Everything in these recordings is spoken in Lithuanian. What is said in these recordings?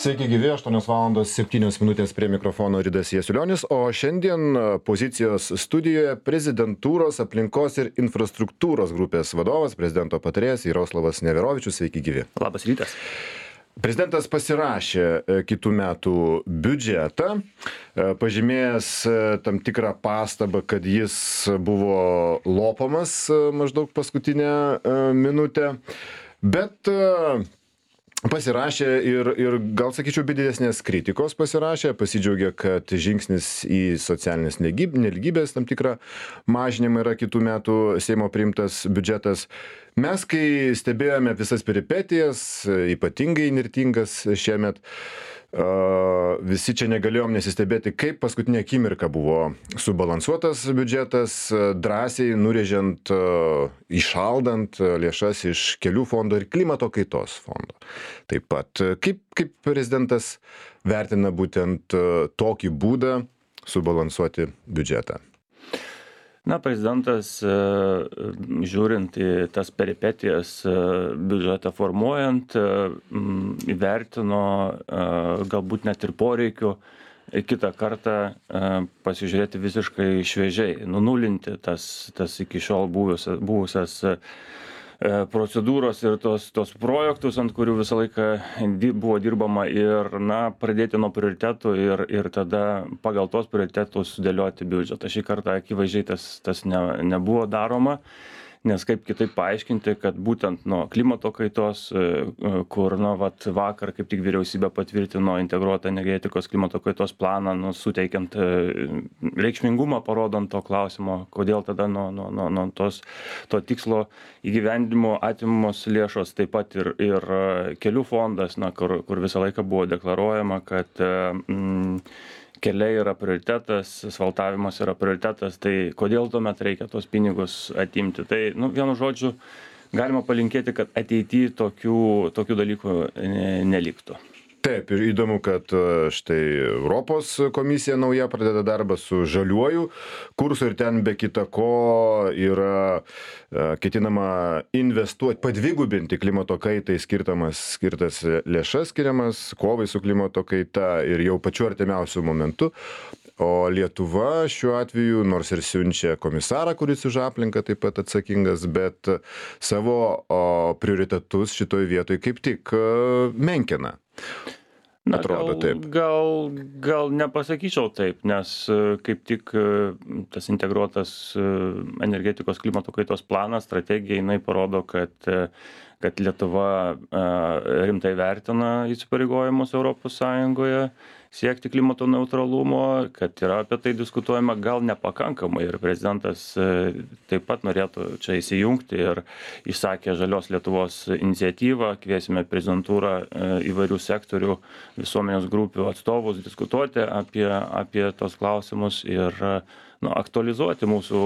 Sveiki gyvi, 8:07 prie mikrofono Ridas Jasiulionis, o šiandien pozicijos studijoje prezidentūros aplinkos ir infrastruktūros grupės vadovas, prezidento patarėjas Jaroslavas Neverovičius. Sveiki gyvi. Labas rytas. Prezidentas pasirašė kitų metų biudžetą, pažymėjęs tam tikrą pastabą, kad jis buvo lopamas maždaug paskutinę minutę, bet pasirašė ir gal sakyčiau, be didesnės kritikos pasirašė, pasidžiaugė, kad žingsnis į socialinės nelygybės tam tikrą mažinimą yra kitų metų Seimo priimtas biudžetas. Mes, kai stebėjome visas peripetijas, ypatingai įnirtingas šiemet, visi čia negalėjom nesistebėti, kaip paskutinė akimirka buvo subalansuotas biudžetas, drąsiai nurėžiant, įšaldant lėšas iš kelių fondo ir klimato kaitos fondo. Taip pat, kaip prezidentas vertina būtent tokį būdą subalansuoti biudžetą? Na, prezidentas, žiūrint į tas peripetijas biudžetą formuojant, įvertino galbūt net ir poreikių kitą kartą pasižiūrėti visiškai šviežiai, nunulinti tas iki šiol buvusias procedūros ir tos projektus, ant kurių visą laiką buvo dirbama ir, pradėti nuo prioritetų ir tada pagal tos prioritetus sudėlioti biudžetą. Šį kartą akivaizdžiai tas nebuvo daroma, nes kaip kitaip paaiškinti, kad būtent nuo klimato kaitos, kur vakar kaip tik vyriausybė patvirtino integruotą energetikos klimato kaitos planą, suteikiant reikšmingumą, parodant to klausimo, kodėl tada nuo to tikslo įgyvendinimo atimamos lėšos, taip pat ir kelių fondas, kur visą laiką buvo deklaruojama, kad keliai yra prioritetas, asfaltavimas yra prioritetas, tai kodėl tuomet reikia tos pinigus atimti. Tai, vienu žodžiu, galima palinkėti, kad ateityje tokių dalykų neliktų. Taip, ir įdomu, kad štai Europos komisija nauja pradeda darbą su žaliuoju kursu ir ten be kita ko yra ketinama investuoti, padvigubinti klimato kaitai skirtas lėšas skiriamas, kovai su klimato kaita ir jau pačiu artimiausiu momentu. O Lietuva šiuo atveju, nors ir siunčia komisarą, kuris už aplinką taip pat atsakingas, bet savo prioritetus šitoj vietoj kaip tik menkina. Atrodo taip. Gal nepasakyčiau taip, nes kaip tik tas integruotas energetikos klimato kaitos planas, strategija, jinai parodo, kad Lietuva rimtai vertina įsipareigojimus Europos Sąjungoje siekti klimato neutralumo, kad yra apie tai diskutuojama gal nepakankamai ir prezidentas taip pat norėtų čia įsijungti ir išsakė Žalios Lietuvos iniciatyvą, kviesime prezidentūrą įvairių sektorių, visuomenės grupių atstovus diskutuoti apie tos klausimus ir aktualizuoti mūsų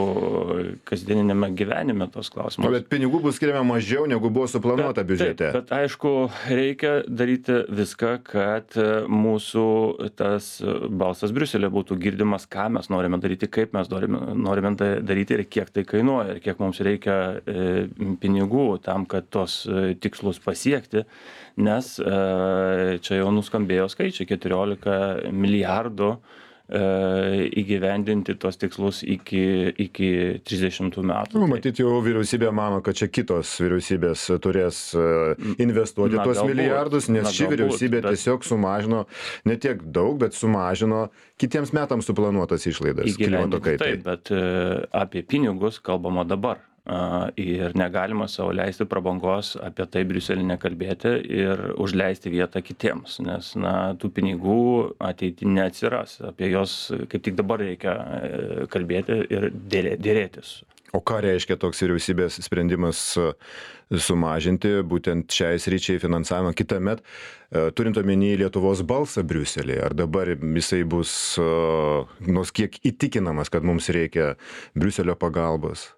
kasdieninėme gyvenime tos klausimus. Bet pinigų bus skiriama mažiau, negu buvo suplanuota biudžete. Bet aišku, reikia daryti viską, kad mūsų tas balsas Briuselė būtų girdimas, ką mes norime daryti, kaip mes norime daryti ir kiek tai kainuoja, ir kiek mums reikia pinigų tam, kad tos tikslus pasiekti, nes čia jau nuskambėjo skaičiai 14 milijardų įgyvendinti tos tikslus iki 30 metų. Matyt, jau vyriausybė mano, kad čia kitos vyriausybės turės investuoti tuos milijardus, nes ši vyriausybė tiesiog sumažino, ne tiek daug, bet sumažino kitiems metams suplanuotas išlaidas klimato kaitai. Taip, bet apie pinigus kalbama dabar. Ir negalima savo leisti prabangos apie tai Briuselį nekalbėti ir užleisti vietą kitiems, nes tų pinigų ateity neatsiras, apie jos kaip tik dabar reikia kalbėti ir dėrėtis. O ką reiškia toks vyriausybės sprendimas sumažinti būtent šiai sričiai finansavimą kitąmet, turint omeny Lietuvos balsą Briuselėje? Ar dabar jisai bus nors kiek įtikinamas, kad mums reikia Briuselio pagalbos?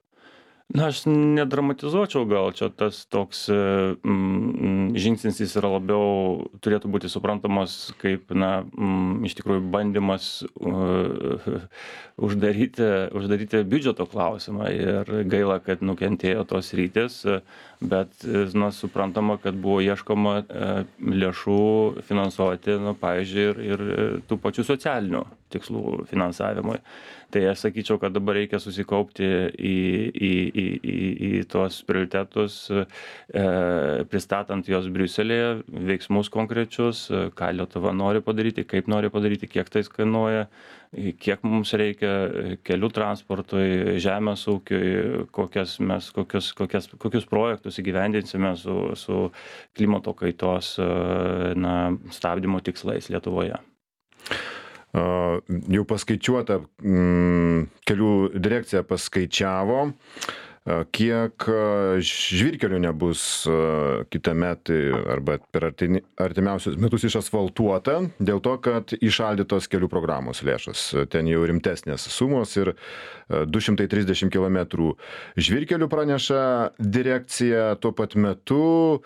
Na, aš nedramatizuočiau, gal čia tas toks žingsnis jis yra labiau turėtų būti suprantamas kaip, na, iš tikrųjų bandymas uždaryti biudžeto klausimą ir gaila, kad nukentėjo tos sritys, bet, na, suprantama, kad buvo ieškoma lėšų finansuoti, na, pavyzdžiui, ir tų pačių socialinių tikslų finansavimui. Tai aš sakyčiau, kad dabar reikia susikaupti į tuos prioritetus, pristatant juos Briuselėje, veiksmus konkrečius, ką Lietuva nori padaryti, kaip nori padaryti, kiek tai kainuoja, kiek mums reikia kelių transportui, žemės ūkiui, kokius projektus įgyvendinsime su klimato kaitos, na, stabdymo tikslais Lietuvoje. Jau paskaičiuota, kelių direkcija paskaičiavo, kiek žvyrkelių nebus kitąmet arba per artimiausius metus išasfaltuota, dėl to, kad įšaldytos kelių programos lėšos. Ten jau rimtesnės sumos ir 230 km žvyrkelių praneša direkcija. Tuo pat metu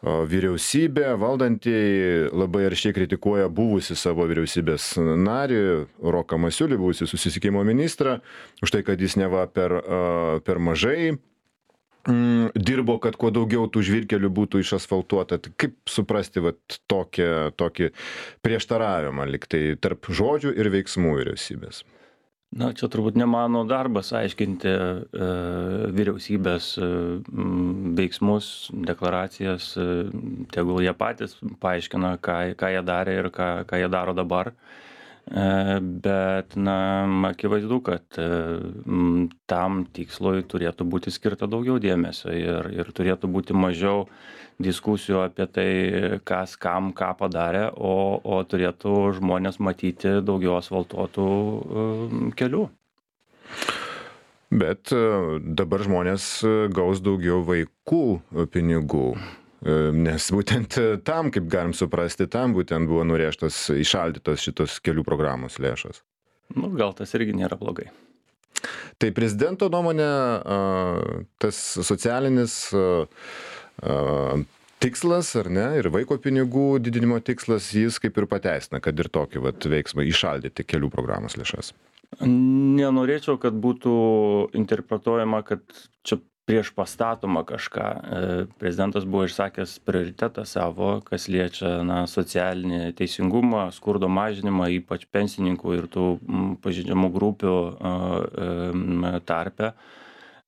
vyriausybė, valdantieji labai aršiai kritikuoja buvusi savo vyriausybės narį, Roką Masiulį, buvusi susisiekimo ministrą, už tai, kad jis neva per mažai dirbo, kad kuo daugiau tų žvyrkelių būtų išasfaltuota. Tai kaip suprasti tokį prieštaravimą liktai tarp žodžių ir veiksmų vyriausybės? Na, čia turbūt ne mano darbas aiškinti vyriausybės veiksmus, deklaracijas, tegul jie patys paaiškina, ką jie darė ir ką jie daro dabar. Bet, na, akivaizdu, kad tam tikslui turėtų būti skirta daugiau dėmesio ir turėtų būti mažiau diskusijų apie tai, kas kam ką padarė, o turėtų žmonės matyti daugiau asfaltuotų kelių. Bet dabar žmonės gaus daugiau vaikų pinigų, nes būtent tam, kaip galim suprasti, tam būtent buvo nurėžtos, įšaldytos šitos kelių programos lėšos. Nu, gal tas irgi nėra blogai. Tai prezidento nuomonė, tas socialinis tikslas, ar ne, ir vaiko pinigų didinimo tikslas, jis kaip ir pateisina, kad ir tokį veiksmą įšaldyti kelių programos lėšas. Nenorėčiau, kad būtų interpretuojama, kad čia prieš pastatoma kažką. Prezidentas buvo išsakęs prioritetą savo, kas liečia, na, socialinį teisingumą, skurdo mažinimą, ypač pensininkų ir tų pažeidžiamų grupių tarpe.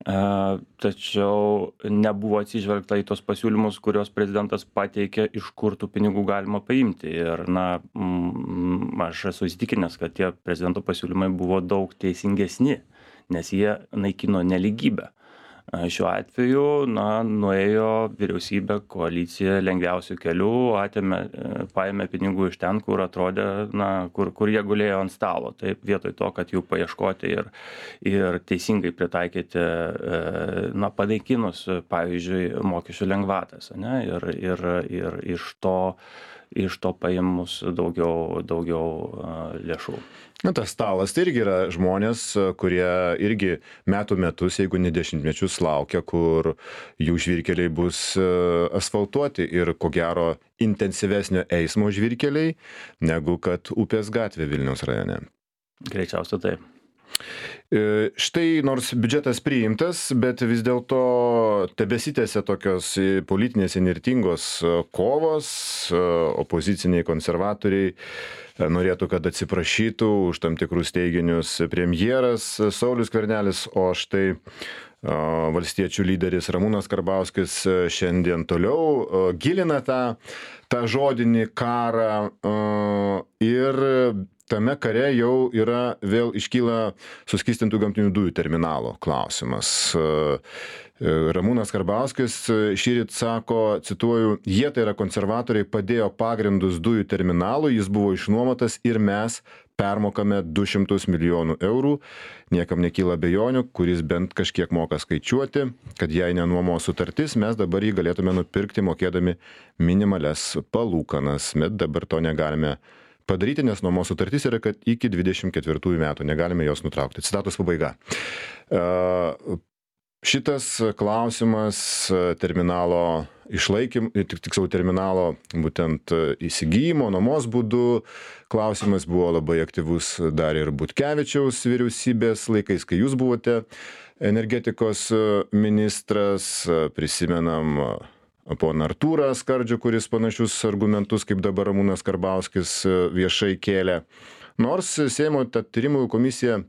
Tačiau nebuvo atsižvelgta į tos pasiūlymus, kurios prezidentas pateikė, iš kur tų pinigų galima paimti. Ir, na, aš esu įsitikinęs, kad tie prezidento pasiūlymai buvo daug teisingesni, nes jie naikino nelygybę. Šiuo atveju, na, nuėjo vyriausybė, koalicija lengviausių kelių, paėmė pinigų iš ten, kur atrodė, na, kur jie gulėjo ant stalo. Taip, vietoj to, kad jų paieškoti ir teisingai pritaikyti, na, panaikinus, pavyzdžiui, mokesčių lengvatas, ne, ir iš to paėmus daugiau lėšų. Na, tas stalas tai irgi yra žmonės, kurie irgi metus, jeigu ne dešimtmečius laukia, kur jų žvyrkeliai bus asfaltuoti ir ko gero intensyvesnio eismo žvyrkeliai, negu kad Upės gatvė Vilniaus rajone. Greičiausia taip. Štai nors biudžetas priimtas, bet vis dėlto tebesitęsia tokios politinės įnirtingos kovos, opoziciniai konservatoriai norėtų, kad atsiprašytų už tam tikrus teiginius premjeras Saulius Skvernelis, o štai valstiečių lyderis Ramūnas Karbauskis šiandien toliau gilina tą žodinį karą ir tame kare jau vėl iškyla suskystintų gamtinių dujų terminalo klausimas. Ramūnas Karbauskis šįryt sako, cituoju, jie, tai yra konservatoriai, padėjo pagrindus dujų terminalui, jis buvo išnuomotas ir mes permokame 200 milijonų eurų. Niekam nekyla abejonių, kuris bent kažkiek moka skaičiuoti, kad jei nenuomos sutartis, mes dabar jį galėtume nupirkti mokėdami minimales palūkanas, bet dabar to negalime padaryti, nes nuomos sutartis yra, kad iki 24 metų negalime jos nutraukti. Citatos pabaiga. šitas klausimas terminalo tiksliau terminalo būtent įsigijimo, nuomos būdu klausimas buvo labai aktyvus dar ir Butkevičiaus vyriausybės laikais, kai jūs buvote energetikos ministras. Prisimenam poną Artūrą Skardžių, kuris panašius argumentus kaip dabar Ramūnas Karbauskis viešai kėlė. Nors Seimo tyrimų komisija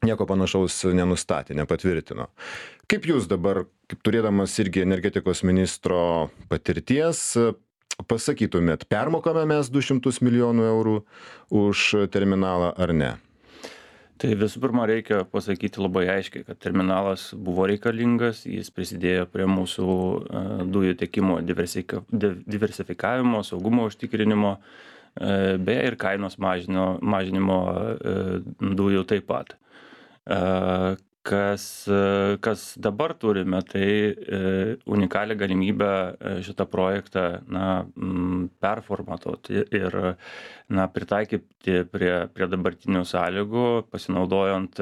nieko panašaus nenustatė, nepatvirtino. Kaip jūs dabar, kaip turėdamas irgi energetikos ministro patirties, pasakytumėt, permokame mes 200 milijonų eurų už terminalą ar ne? Tai visų pirma, reikia pasakyti labai aiškiai, kad terminalas buvo reikalingas, jis prisidėjo prie mūsų dujų tiekimo diversifikavimo, saugumo užtikrinimo, beje ir kainos mažinimo dujų taip pat. Kas dabar turime, tai unikalią galimybę šitą projektą performatuoti ir pritaikyti prie dabartinių sąlygų, pasinaudojant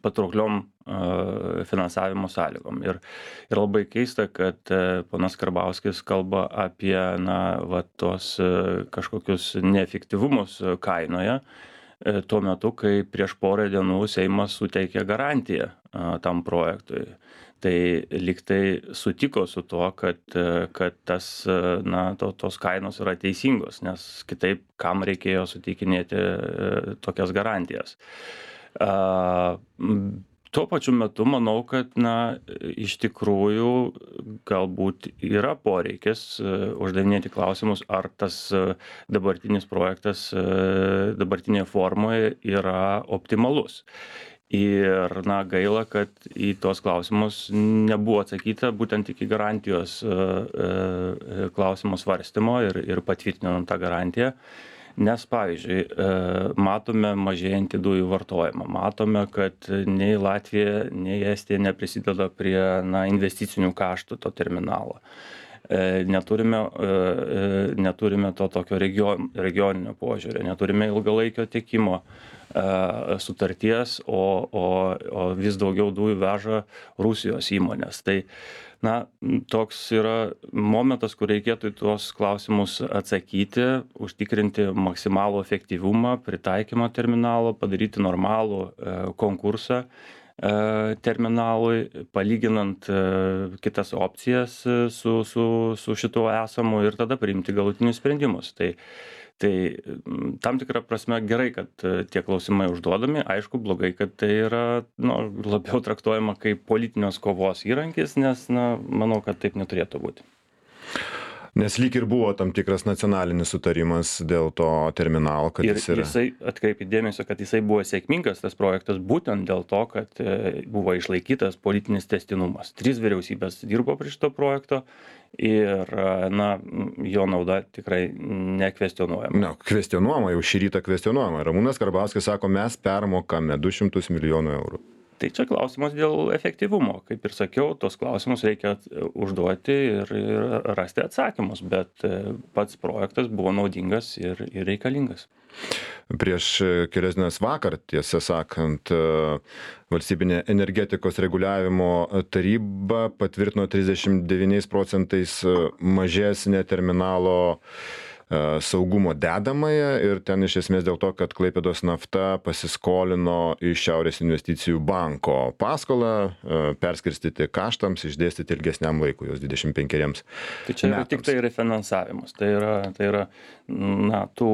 patraukliom finansavimo sąlygom. Ir labai keista, kad ponas Karbauskis kalba apie tos kažkokius neefektyvumus kainoje, tuo metu, kai prieš porą dienų Seimas suteikė garantiją tam projektui. Tai lygtai sutiko su tuo, kad tos kainos yra teisingos, nes kitaip kam reikėjo suteikinėti tokias garantijas. Tuo pačiu metu manau, kad iš tikrųjų galbūt yra poreikis uždavinėti klausimus, ar tas dabartinis projektas dabartinėje formoje yra optimalus. Ir gaila, kad į tuos klausimus nebuvo atsakyta būtent iki garantijos klausimo svarstymo ir patvirtinant tą garantiją. Nes, pavyzdžiui, matome mažėjantį dujų vartojimą, matome, kad nei Latvija, nei Estija neprisideda prie investicinių kaštų to terminalo. Neturime to tokio regioninio požiūrio, neturime ilgalaikio tiekimo sutarties, o vis daugiau dujų veža Rusijos įmonės. Tai toks yra momentas, kur reikėtų į tuos klausimus atsakyti, užtikrinti maksimalų efektyvumą, pritaikymą terminalo, padaryti normalų konkursą terminalui, palyginant kitas opcijas su šituo esamu ir tada priimti galutinius sprendimus. Tai tam tikrą prasme gerai, kad tie klausimai užduodami, aišku, blogai, kad tai yra labiau traktuojama kaip politinės kovos įrankis, nes manau, kad taip neturėtų būti. Nes lyg ir buvo tam tikras nacionalinis sutarimas dėl to terminalo, kad jis yra. Ir jisai, atkreipė dėmesio, kad jisai buvo sėkmingas, tas projektas, būtent dėl to, kad buvo išlaikytas politinis tęstinumas. 3 vyriausybės dirbo prie šito projekto ir jo nauda tikrai nekvestionuojama. Kvestionuojama, jau šį rytą kvestionuojama. Ramūnas Karbauskis sako, mes permokame 200 milijonų eurų. Tai čia klausimas dėl efektyvumo. Kaip ir sakiau, tos klausimus reikia užduoti ir rasti atsakymus, bet pats projektas buvo naudingas ir reikalingas. Prieš kelias dienas vakar, tiesą sakant, valstybinė energetikos reguliavimo taryba patvirtino 39% mažesnę terminalo saugumo dedamąją ir ten iš esmės dėl to, kad Klaipėdos nafta pasiskolino iš Šiaurės investicijų banko paskolą, perskirstyti kaštams, išdėstyti ilgesniam laikui, jos 25 metams. Tai čia yra tik tai refinansavimas, tai yra tų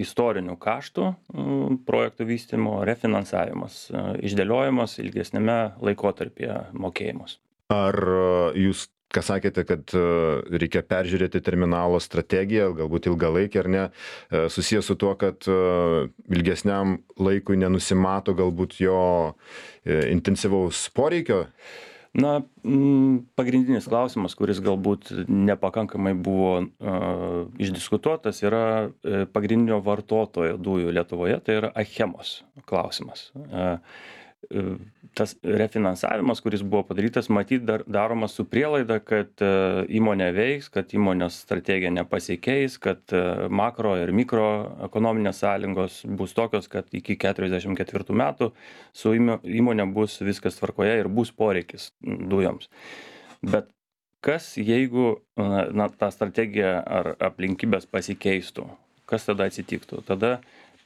istorinių kaštų projektų vystymo refinansavimas, išdėliojimas ilgesnėme laikotarpyje mokėjimus. Ar jūs ką sakėte, kad reikia peržiūrėti terminalo strategiją, galbūt ilgalaikį ar ne, susijęs su tuo, kad ilgesniam laikui nenusimato galbūt jo intensyvaus poreikio? Pagrindinis klausimas, kuris galbūt nepakankamai buvo išdiskutuotas, yra pagrindinio vartotojo dujų Lietuvoje, tai yra Achemos klausimas. tas refinansavimas, kuris buvo padarytas, matyt, daromas su prielaida, kad įmonė veiks, kad įmonės strategija nepasikeis, kad makro ir mikroekonominės sąlygos bus tokios, kad iki 44 metų su įmonė bus viskas tvarkoje ir bus poreikis dujoms. Bet kas jeigu ta strategija ar aplinkybės pasikeistų? Kas tada atsitiktų? Tada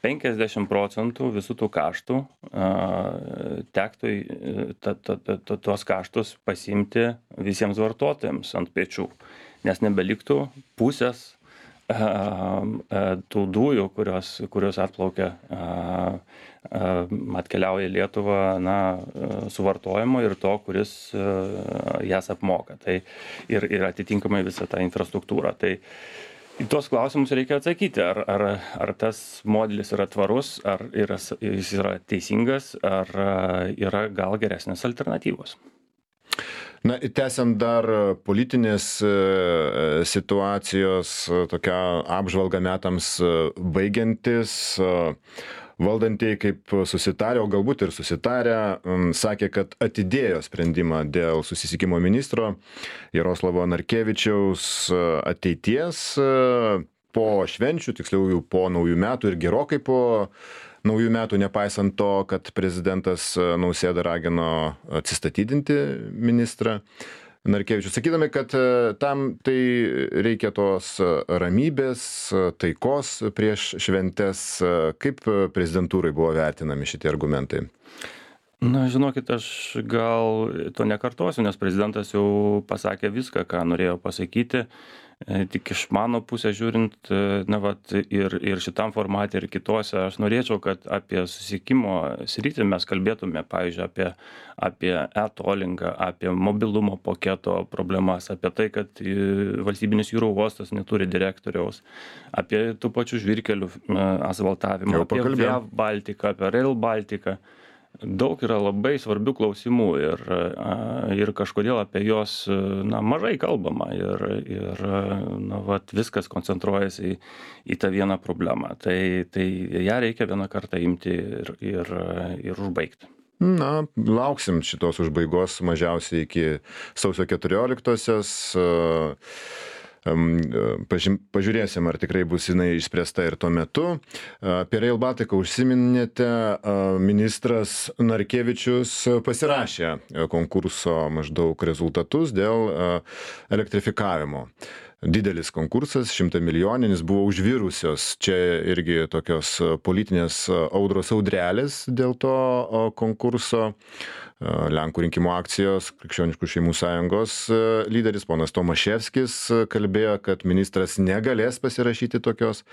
50% visų tų kaštų tektų tuos kaštus pasiimti visiems vartotojams ant pečių, nes nebeliktų pusės tų dujų, kurios atplaukia, atkeliauja į Lietuvą suvartojimo ir to, kuris jas apmoka. Tai ir atitinkamai visą tą infrastruktūrą. Tai į tuos klausimus reikia atsakyti, ar tas modelis yra tvarus, ar jis yra teisingas, ar yra gal geresnės alternatyvos. Na, tęsiant dar politinės situacijos, tokia apžvalga metams baigiantis, valdantieji kaip susitarę, o galbūt ir susitarę, sakė, kad atidėjo sprendimą dėl susisiekimo ministro Jaroslavo Narkevičiaus ateities po švenčių, tiksliau jau po naujų metų ir gerokai po naujų metų, nepaisant to, kad prezidentas Nausėda ragino atsistatydinti ministrą Narkevičių, sakydami, kad tam tai reikia tos ramybės, taikos prieš šventes. Kaip prezidentūrai buvo vertinami šitie argumentai? Na, žinokit, aš gal to nekartosiu, nes prezidentas jau pasakė viską, ką norėjo pasakyti. Tik iš mano pusės žiūrint, ir šitam formate, ir kitose, aš norėčiau, kad apie susisiekimo sritį mes kalbėtume, pavyzdžiui, apie e-tollingą, apie mobilumo paketo problemas, apie tai, kad valstybinis jūrų uostas neturi direktoriaus, apie tų pačių žvyrkelių asfaltavimą, apie Via Baltica, apie Rail Baltica. Daug yra labai svarbių klausimų ir kažkodėl apie juos mažai kalbama ir viskas koncentruojasi į tą vieną problemą. Tai ją reikia vieną kartą imti ir užbaigti. Na, lauksim šitos užbaigos mažiausiai iki sausio 14-osios. Pažiūrėsim, ar tikrai bus jinai išspręsta ir tuo metu. Apie Rail Baltica užsiminėte, ministras Narkevičius pasirašė konkurso maždaug rezultatus dėl elektrifikavimo. Didelis konkursas, 100 milijoninis, buvo užvirusios čia irgi tokios politinės audrelės dėl to konkurso. Lenkų rinkimų akcijos, Krikščioniškų šeimų sąjungos lyderis ponas Tomaševskis kalbėjo, kad ministras negalės pasirašyti tokios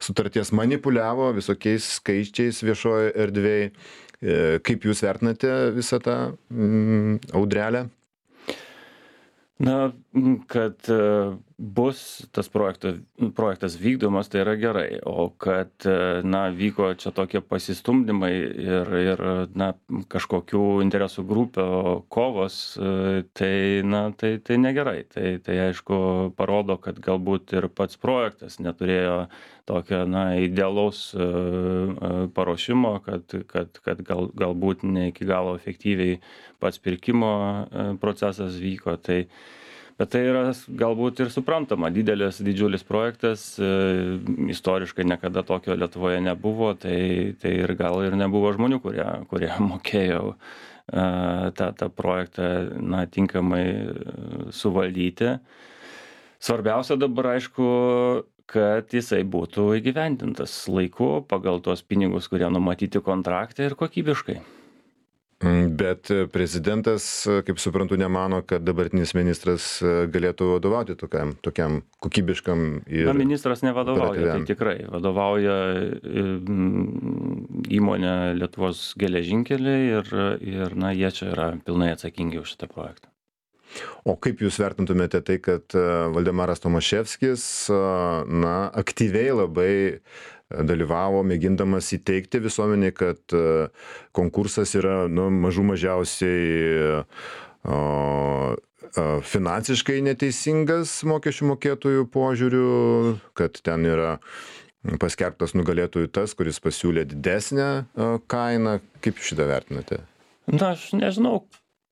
sutarties, manipuliavo visokiais skaičiais viešojo erdvėje. Kaip jūs vertinate visą tą audrelę? Na, kad bus tas projektas vykdomas, tai yra gerai, o kad vyko čia tokie pasistumdymai ir kažkokių interesų grupių kovos, tai negerai. Tai aišku parodo, kad galbūt ir pats projektas neturėjo tokio idealaus paruošimo, kad galbūt ne iki galo efektyviai pats pirkimo procesas vyko. Bet tai yra galbūt ir suprantama, didžiulis projektas, istoriškai niekada tokio Lietuvoje nebuvo, tai ir gal ir nebuvo žmonių, kurie mokėjo tą projektą tinkamai suvaldyti. Svarbiausia dabar, aišku, kad jisai būtų įgyvendintas laiku pagal tuos pinigus, kurie numatyti kontrakte ir kokybiškai. Bet prezidentas, kaip suprantu, nemano, kad dabartinis ministras galėtų vadovauti tokiam kokybiškam ir ministras nevadovauja, tai tikrai vadovauja įmonė Lietuvos geležinkeliai ir jie čia yra pilnai atsakingi už šitą projektą. O kaip jūs vertintumėte tai, kad Valdemaras Tomaševskis aktyviai labai dalyvavo, mėgindamas įteikti visuomeniai, kad konkursas yra mažų mažiausiai finansiškai neteisingas mokesčių mokėtojų požiūriu, kad ten yra paskelbtas nugalėtojų tas, kuris pasiūlė didesnę kainą. Kaip šitą vertinate? Na, aš nežinau,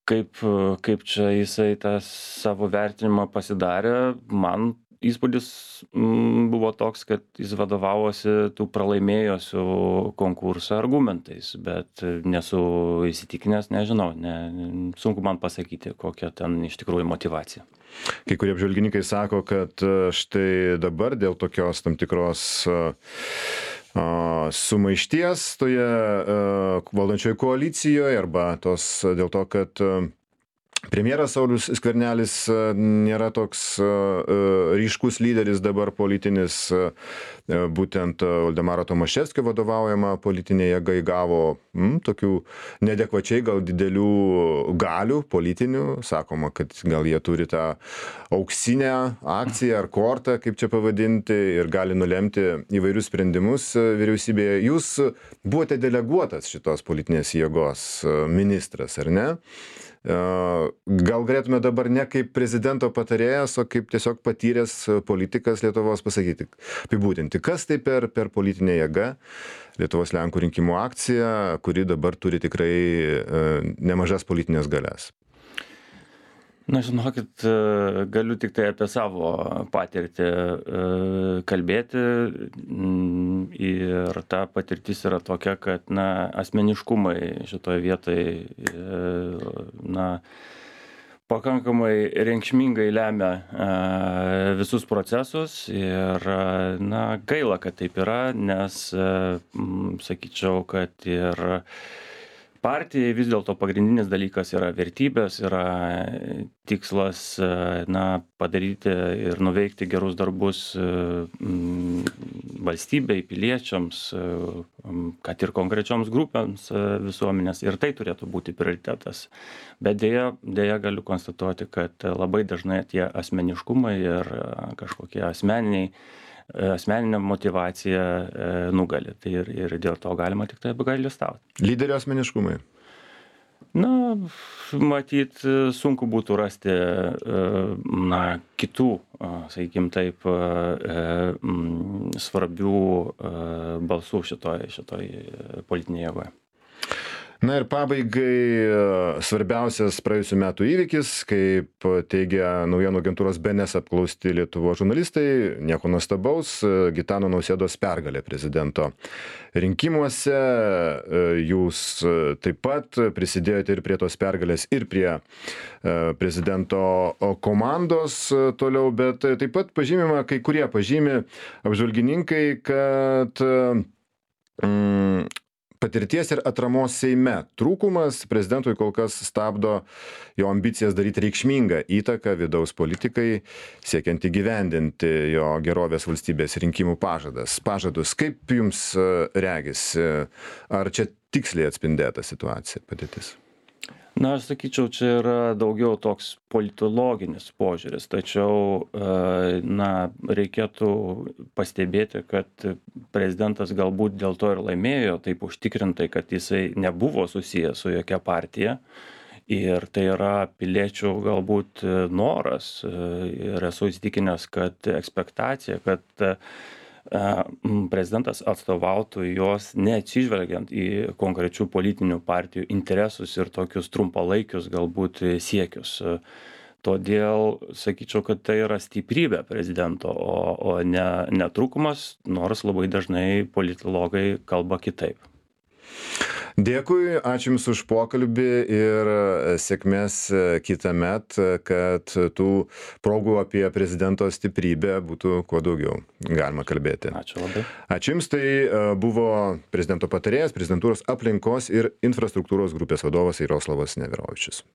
kaip čia jisai tą savo vertinimą pasidarė. Man įspūdis buvo toks, kad jis vadovavosi tų pralaimėjusių konkursą argumentais, bet nesu įsitikinęs, nežinau, sunku man pasakyti, kokia ten iš tikrųjų motyvacija. Kai kurie apžvalgininkai sako, kad štai dabar dėl tokios tam tikros sumaišties toje valdančioje koalicijoje arba dėl to, kad premjeras Saulius Skvernelis nėra toks ryškus lyderis dabar politinis, būtent Valdemaro Tomaševskio vadovaujama politinė jėga įgavo tokių neadekvačiai gal didelių galių politinių. Sakoma, kad gal jie turi tą auksinę akciją ar kortą, kaip čia pavadinti, ir gali nulemti įvairius sprendimus vyriausybėje. Jūs buvote deleguotas šitos politinės jėgos ministras, ar ne? Gal galėtume dabar ne kaip prezidento patarėjas, o kaip tiesiog patyręs politikas Lietuvos pasakyti, apibūdinti, kas tai per politinė jėga, Lietuvos Lenkų rinkimų akcija, kuri dabar turi tikrai nemažas politinės galias. Na, žinokit, galiu tik tai apie savo patirtį kalbėti ir ta patirtis yra tokia, kad asmeniškumai šitoje vietoje pakankamai reikšmingai lemia visus procesus ir gaila, kad taip yra, nes sakyčiau, kad ir partijai vis dėlto pagrindinis dalykas yra vertybės, yra tikslas padaryti ir nuveikti gerus darbus valstybei, piliečiams, kad ir konkrečioms grupėms visuomenės, ir tai turėtų būti prioritetas. Bet dėja galiu konstatuoti, kad labai dažnai tie asmeniškumai ir kažkokie asmeninė motyvacija nugali. Tai ir dėl to galima tik tai apgailestauti. Lyderio asmeniškumai? Matyt, sunku būtų rasti kitų, sakykim taip, svarbių balsų šitoj politinėje jėgoje. Na ir pabaigai svarbiausias praėjusių metų įvykis, kaip teigia naujienų agentūros BNS apklausti Lietuvos žurnalistai, nieko nuostabaus, Gitano Nausėdos pergalė prezidento rinkimuose. Jūs taip pat prisidėjote ir prie tos pergalės, ir prie prezidento komandos toliau, bet taip pat pažymima, kai kurie pažymi apžvalgininkai, kad patirties ir atramos Seime trūkumas prezidentui kol kas stabdo jo ambicijas daryti reikšmingą įtaką vidaus politikai, siekiant įgyvendinti jo gerovės valstybės rinkimų pažadus. Kaip jums regisi, ar čia tiksliai atspindėta situacija, padėtis? Aš sakyčiau, čia yra daugiau toks politologinis požiūris, tačiau reikėtų pastebėti, kad prezidentas galbūt dėl to ir laimėjo taip užtikrintai, kad jisai nebuvo susijęs su jokia partija. Ir tai yra piliečių galbūt noras ir esu įsitikinęs, kad ekspektacija, kad prezidentas atstovautų jos neatsižvelgiant į konkrečių politinių partijų interesus ir tokius trumpalaikius galbūt siekius. Todėl sakyčiau, kad tai yra stiprybė prezidento, o ne trūkumas, nors labai dažnai politologai kalba kitaip. Dėkui, ačiū Jums už pokalbį ir sėkmės kitąmet, kad tų progų apie prezidento stiprybę būtų kuo daugiau galima kalbėti. Ačiū labai. Ačiū Jums, tai buvo prezidento patarėjas, prezidentūros aplinkos ir infrastruktūros grupės vadovas Jaroslavas Neverovičius.